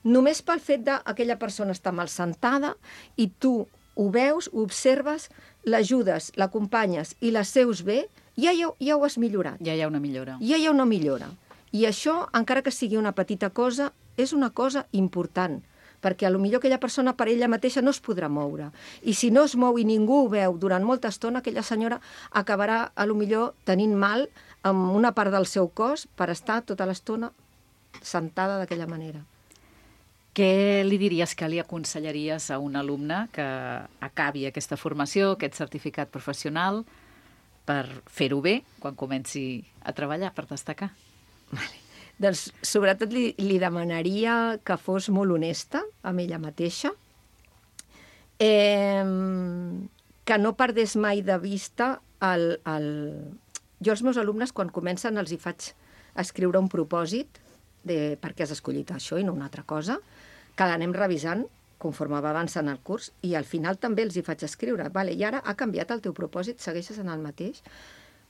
L: Només pel fet d'aquella persona estar mal sentada i tu ho veus, ho observes, l'ajudes, l'acompanyes i la seus bé, ja, ja, ja ho has millorat.
C: Ja hi ha una millora.
L: Ja hi ha una millora. I això, encara que sigui una petita cosa, és una cosa important, perquè potser aquella persona per ella mateixa no es podrà moure. I si no es mou i ningú ho veu durant molta estona, aquella senyora acabarà, potser tenint mal amb una part del seu cos per estar tota l'estona sentada d'aquella manera.
C: Què li diries, que li aconsellaries a un alumne que acabi aquesta formació, aquest certificat professional, per fer-ho bé quan comenci a treballar, per destacar?
L: Vale. Doncs sobretot li, li demanaria que fos molt honesta amb ella mateixa, eh, que no perdés mai de vista el, el... Jo als meus alumnes, quan comencen, els hi faig escriure un propòsit de per què has escollit això i no una altra cosa, que l'anem revisant conforme va avançant el curs, i al final també els hi faig escriure. Vale, i ara ha canviat el teu propòsit, segueixes en el mateix?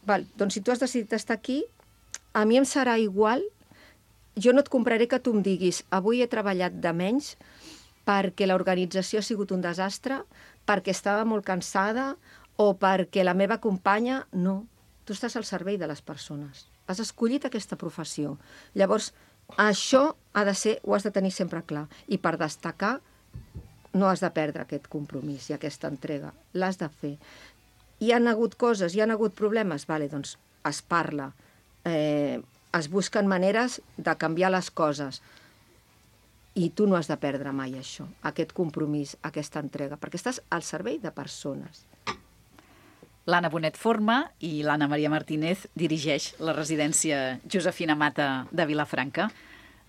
L: Val, doncs si tu has decidit estar aquí, a mi em serà igual, jo no et compraré que tu em diguis avui he treballat de menys perquè l'organització ha sigut un desastre, perquè estava molt cansada o perquè la meva companya... No, tu estàs al servei de les persones. Has escollit aquesta professió. Llavors, això ha de ser, ho has de tenir sempre clar. I per destacar, no has de perdre aquest compromís i aquesta entrega. L'has de fer. Hi han hagut coses, hi han hagut problemes? Vale, doncs es parla. Eh, es busquen maneres de canviar les coses. I tu no has de perdre mai això, aquest compromís, aquesta entrega, perquè estàs al servei de persones.
C: L'Anna Bonet forma i l'Anna Maria Martínez dirigeix la residència Josefina Mata de Vilafranca.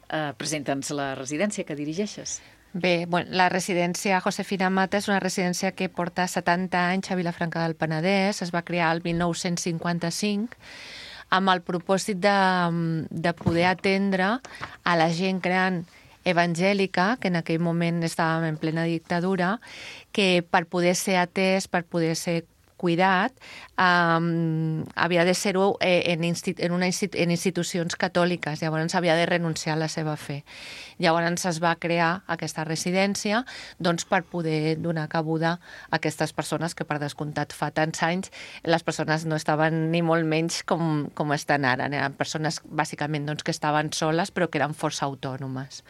C: Eh, Presenta'ns la residència que dirigeixes.
M: Bé, bueno, la residència Josefina Mata és una residència que porta setanta anys a Vilafranca del Penedès. Es va crear el mil nou-cents cinquanta-cinc amb el propòsit de, de poder atendre a la gent gran evangèlica, que en aquell moment estàvem en plena dictadura, que per poder ser atès, per poder ser cuidat, um, havia de ser-ho en, en, una institu en institucions catòliques, llavors havia de renunciar a la seva fe. Llavors es va crear aquesta residència doncs, per poder donar cabuda a aquestes persones que, per descomptat, fa tants anys les persones no estaven ni molt menys com, com estan ara. Eren persones, bàsicament, doncs, que estaven soles però que eren força autònomes.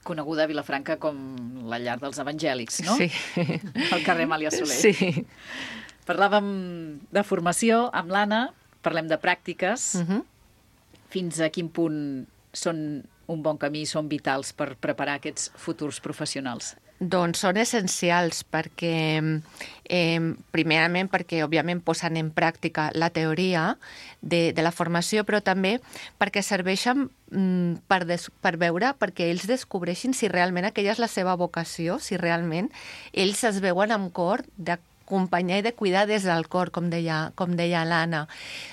C: Coneguda a Vilafranca com la llar dels evangèlics, no?
M: Sí.
C: Al carrer Amàlia Soler.
M: Sí.
C: Parlàvem de formació amb l'Anna, parlem de pràctiques.
M: Uh -huh.
C: Fins a quin punt són un bon camí, són vitals per preparar aquests futurs professionals?
M: Doncs són essencials perquè, eh, primerament, perquè òbviament posen en pràctica la teoria de, de la formació, però també perquè serveixen mm, per, des, per veure, perquè ells descobreixin si realment aquella és la seva vocació, si realment ells es veuen amb cor de acompanyar i de cuidar des del cor, com deia, com deia l'Anna.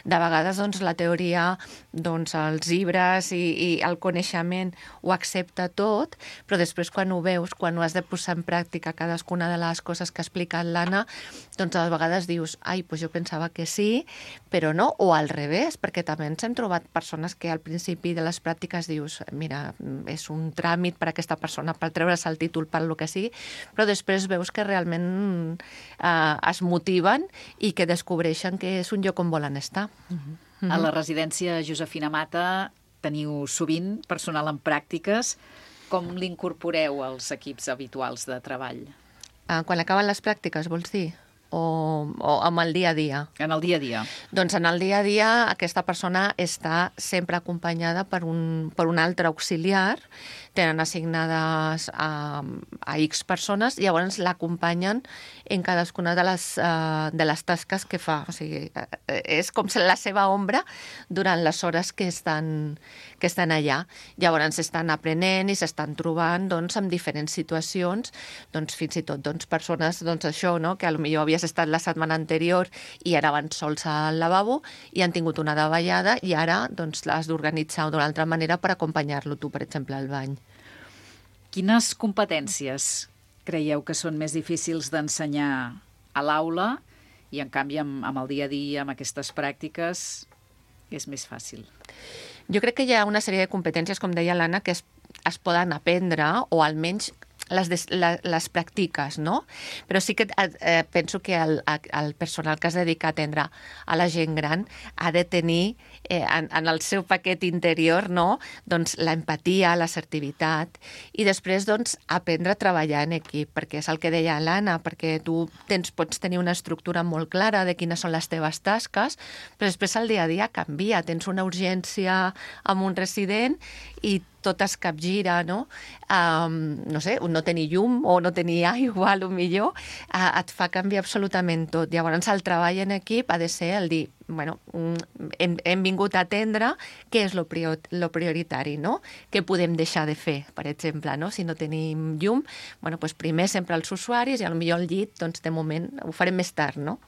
M: De vegades doncs, la teoria, doncs, els llibres i, i el coneixement ho accepta tot, però després quan ho veus, quan ho has de posar en pràctica cadascuna de les coses que ha explicat l'Anna, doncs a vegades dius, ai, doncs jo pensava que sí, però no, o al revés, perquè també ens hem trobat persones que al principi de les pràctiques dius, mira, és un tràmit per a aquesta persona, per treure's el títol, per lo que sigui, però després veus que realment eh, es motiven i que descobreixen que és un lloc on volen estar.
C: Uh-huh. A la residència Josefina Mata teniu sovint personal en pràctiques. Com l'incorporeu als equips habituals de treball?
M: Uh, quan acaben les pràctiques, vols dir? O, o amb el dia a dia?
C: En el dia a dia.
M: Doncs en el dia a dia aquesta persona està sempre acompanyada per un, per un altre auxiliar, tenen assignades a, a X persones i llavors l'acompanyen en cadascuna de les, uh, de les tasques que fa. O sigui, és com la seva ombra durant les hores que estan, que estan allà. Llavors estan aprenent i s'estan trobant doncs, en diferents situacions, doncs, fins i tot doncs, persones, doncs, això, no? Que potser havies estat la setmana anterior i ara van sols al lavabo i han tingut una davallada i ara doncs, l'has d'organitzar d'una altra manera per acompanyar-lo tu, per exemple, al bany.
C: Quines competències creieu que són més difícils d'ensenyar a l'aula i, en canvi, amb, amb el dia a dia, amb aquestes pràctiques, és més fàcil?
M: Jo crec que hi ha una sèrie de competències, com deia l'Anna, que es, es poden aprendre o almenys les, des, les, les practiques, no? Però sí que eh, penso que el, el personal que es dedica a atendre a la gent gran ha de tenir eh, en, en el seu paquet interior, no? Doncs l'empatia, l'assertivitat i després doncs aprendre a treballar en equip, perquè és el que deia l'Anna, perquè tu tens, pots tenir una estructura molt clara de quines són les teves tasques, però després el dia a dia canvia, tens una urgència amb un resident i tot es capgira, no? Um, no sé, no tenir llum o no tenir aigua, potser, uh, et fa canviar absolutament tot. Llavors, el treball en equip ha de ser el dir, bueno, hem, hem vingut a atendre què és lo, prior, lo prioritari, no? Què podem deixar de fer, per exemple, no? Si no tenim llum, bueno, doncs primer sempre els usuaris i potser el llit, doncs de moment ho farem més tard, no?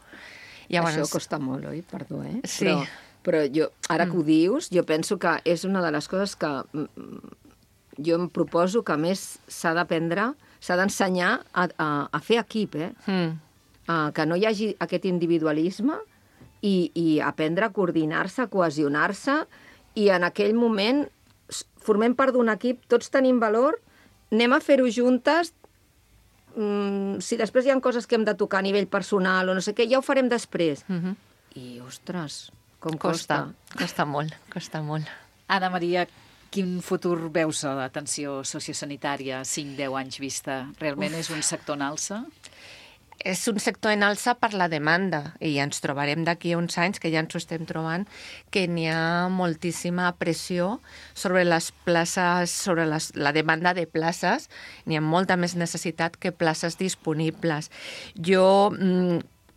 L: Llavors... Això costa molt, oi? Perdó, eh?
M: Sí.
L: Però... Però jo, ara que ho dius, jo penso que és una de les coses que jo em proposo que més s'ha d'aprendre, s'ha d'ensenyar a, a, a fer equip, eh? Mm. Uh, que no hi hagi aquest individualisme i, i aprendre a coordinar-se, a cohesionar-se, i en aquell moment formem part d'un equip, tots tenim valor, anem a fer-ho juntes, mm, si després hi ha coses que hem de tocar a nivell personal o no sé què, ja ho farem després. Mm-hmm. I, ostres, com costa.
M: Costa, costa molt, costa molt.
C: Anna Maria, quin futur veus a l'atenció sociosanitària cinc deu anys vista? Realment Uf. És un sector en alça?
M: És un sector en alça per la demanda i ens trobarem d'aquí a uns anys, que ja ens ho estem trobant, que n'hi ha moltíssima pressió sobre les places, sobre les, la demanda de places. N'hi ha molta més necessitat que places disponibles. Jo,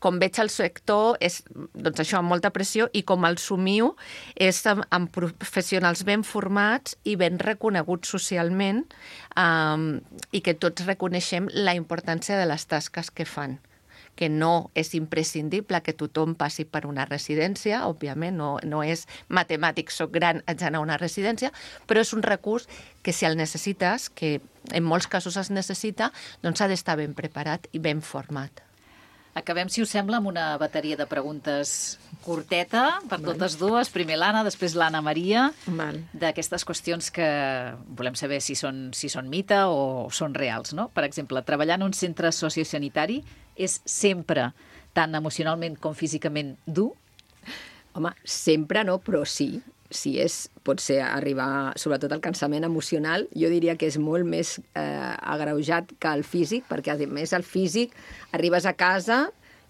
M: com veig el sector, és doncs això, amb molta pressió, i com el somio és amb, amb professionals ben formats i ben reconeguts socialment, um, i que tots reconeixem la importància de les tasques que fan, que no és imprescindible que tothom passi per una residència, òbviament, no, no és matemàtic, soc gran, haig d'anar a una residència, però és un recurs que si el necessites, que en molts casos es necessita, doncs ha d'estar ben preparat i ben format.
C: Acabem, si us sembla, amb una bateria de preguntes curteta per Val. Totes dues. Primer l'Anna, després l'Anna Maria, Val. D'aquestes qüestions que volem saber si són, si són mite o són reals, no? Per exemple, treballar en un centre sociosanitari és sempre tant emocionalment com físicament dur?
L: Home, sempre no, però sí. Si és, pot ser arribar, sobretot el cansament emocional, jo diria que és molt més eh, agreujat que el físic, perquè a més el físic arribes a casa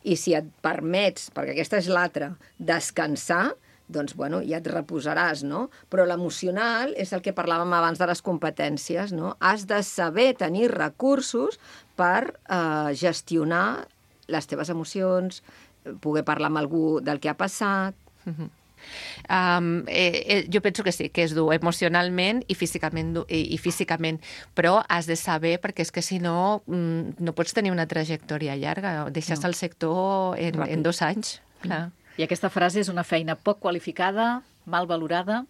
L: i si et permets, perquè aquesta és l'altra, descansar, doncs bueno, ja et reposaràs, no? Però l'emocional és el que parlàvem abans de les competències, no? Has de saber tenir recursos per eh, gestionar les teves emocions, poder parlar amb algú del que ha passat.
M: Mm-hmm. Um, eh, eh, jo penso que sí, que és dur emocionalment i físicament, i, i físicament, però has de saber, perquè és que si no mm, no pots tenir una trajectòria llarga, deixes no. el sector en, en dos anys. Clar.
C: I aquesta frase és una feina poc qualificada, mal valorada?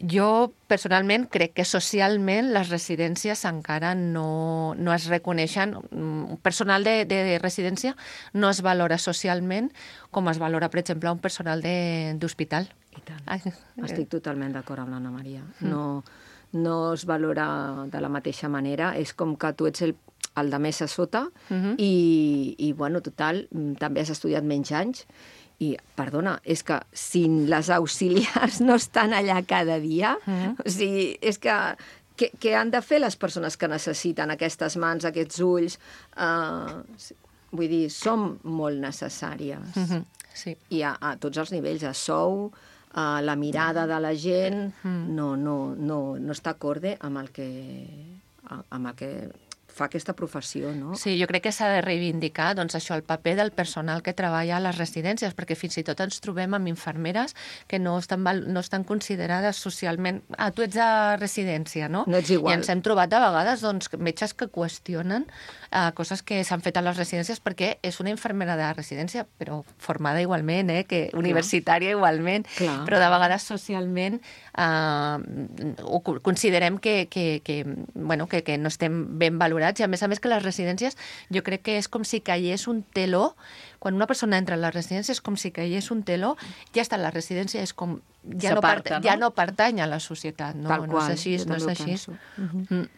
M: Jo, personalment, crec que socialment les residències encara no, no es reconeixen. Un personal de, de residència no es valora socialment com es valora, per exemple, un personal d'hospital.
L: I tant. Ai. Estic totalment d'acord amb l'Anna Maria. No, no es valora de la mateixa manera. És com que tu ets el, el de més a sota uh-huh. i, i, bueno, total, també has estudiat menys anys. I, perdona, és que si les auxiliars no estan allà cada dia, mm. o sigui, és que què, què han de fer les persones que necessiten aquestes mans, aquests ulls? Uh, vull dir, som molt necessàries.
M: Mm-hmm. Sí.
L: I a, a tots els nivells, a sou, a la mirada de la gent, mm. no, no, no, no està acorde amb el que, amb el que fa aquesta professió, no?
M: Sí, jo crec que s'ha de reivindicar, doncs, això, el paper del personal que treballa a les residències, perquè fins i tot ens trobem amb infermeres que no estan, no estan considerades socialment... Ah, tu ets a residència, no?
L: No ets igual.
M: I ens hem trobat a vegades, doncs, metges que qüestionen eh, coses que s'han fet a les residències perquè és una infermera de residència, però formada igualment, eh, que universitària igualment,
L: Clar.
M: Però de vegades socialment eh, ho considerem que, que, que, bueno, que, que no estem ben valorats. I a més a més que les residències, jo crec que és com si caigués un teló, quan una persona entra a la residència és com si caigués un teló, ja està a la residència, és com, ja, no, part, no? ja no pertany a la societat, no,
L: Tal
M: no
L: qual,
M: és així, no és així.
L: Uh-huh.
M: Mm.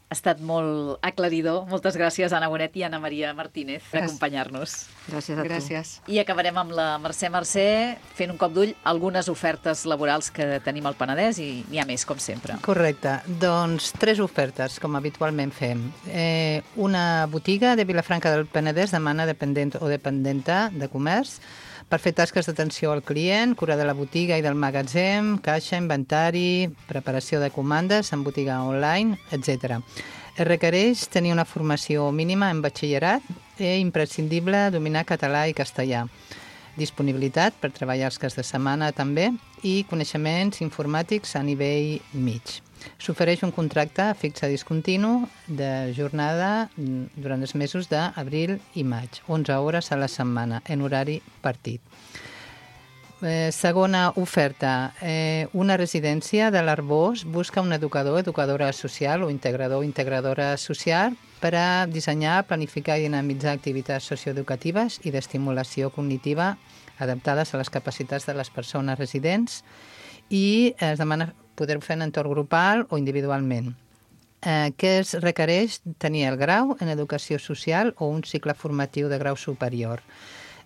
C: Ha estat molt aclaridor. Moltes gràcies, Anna Bonet i Anna Maria Martínez, per acompanyar-nos.
L: Gràcies a tu.
M: Gràcies.
C: I acabarem amb la Mercè Mercè, fent un cop d'ull algunes ofertes laborals que tenim al Penedès, i n'hi ha més, com sempre.
K: Correcte. Doncs tres ofertes, com habitualment fem. Eh, una botiga de Vilafranca del Penedès demana dependent o dependenta de comerç per fer tasques d'atenció al client, cura de la botiga i del magatzem, caixa, inventari, preparació de comandes en botiga online, etcètera. Es requereix tenir una formació mínima en batxillerat i imprescindible dominar català i castellà. Disponibilitat per treballar els caps de setmana també i coneixements informàtics a nivell mig. S'ofereix un contracte fixe discontinu de jornada durant els mesos d'abril i maig, onze hores a la setmana, en horari partit. Eh, segona oferta. Eh, una residència de l'Arbós busca un educador, educadora social o integrador, integradora social per a dissenyar, planificar i dinamitzar activitats socioeducatives i d'estimulació cognitiva adaptades a les capacitats de les persones residents i es demana poder fer en entorn grupal o individualment. Eh, què es requereix? Tenir el grau en educació social o un cicle formatiu de grau superior.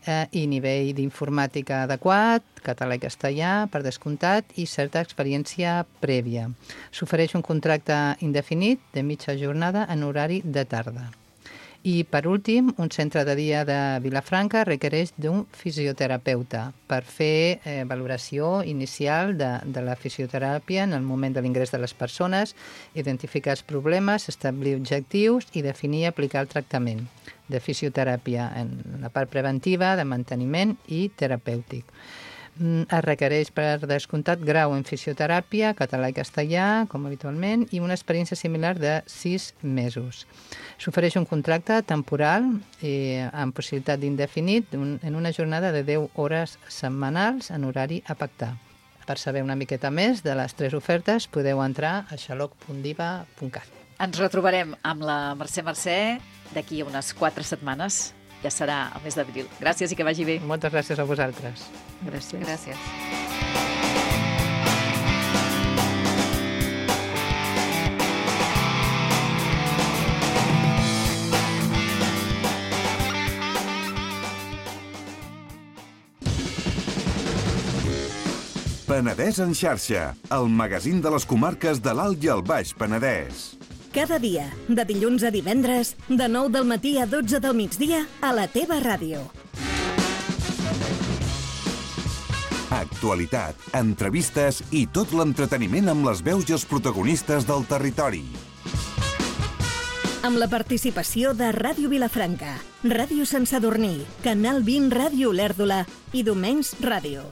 K: Eh, i nivell d'informàtica adequat, català i castellà, per descomptat, i certa experiència prèvia. S'ofereix un contracte indefinit de mitja jornada en horari de tarda. I, per últim, un centre de dia de Vilafranca requereix d'un fisioterapeuta per fer eh, valoració inicial de, de la fisioteràpia en el moment de l'ingrés de les persones, identificar els problemes, establir objectius i definir i aplicar el tractament de fisioteràpia en la part preventiva, de manteniment i terapèutic. Es requereix per descomptat grau en fisioteràpia, català i castellà, com habitualment, i una experiència similar de sis mesos. S'ofereix un contracte temporal eh, amb possibilitat d'indefinit un, en una jornada de deu hores setmanals en horari a pactar. Per saber una miqueta més de les tres ofertes podeu entrar a xaloc punt diva punt cat.
C: Ens retrobarem amb la Mercè Mercè d'aquí a unes quatre setmanes. Ja serà el mes d'abril. Gràcies i que vagi bé.
K: Moltes gràcies a vosaltres.
C: Gràcies.
M: Gràcies.
N: Penedès en xarxa, el magazín de les comarques de l'Alt i el Baix Penedès.
O: Cada dia, de dilluns a divendres, de nou del matí a dotze del migdia, a la teva ràdio.
N: Actualitat, entrevistes i tot l'entreteniment amb les veus i els protagonistes del territori.
O: Amb la participació de Ràdio Vilafranca, Ràdio Sant Sadurní, Canal vint Ràdio Olèrdola i Domenys Ràdio.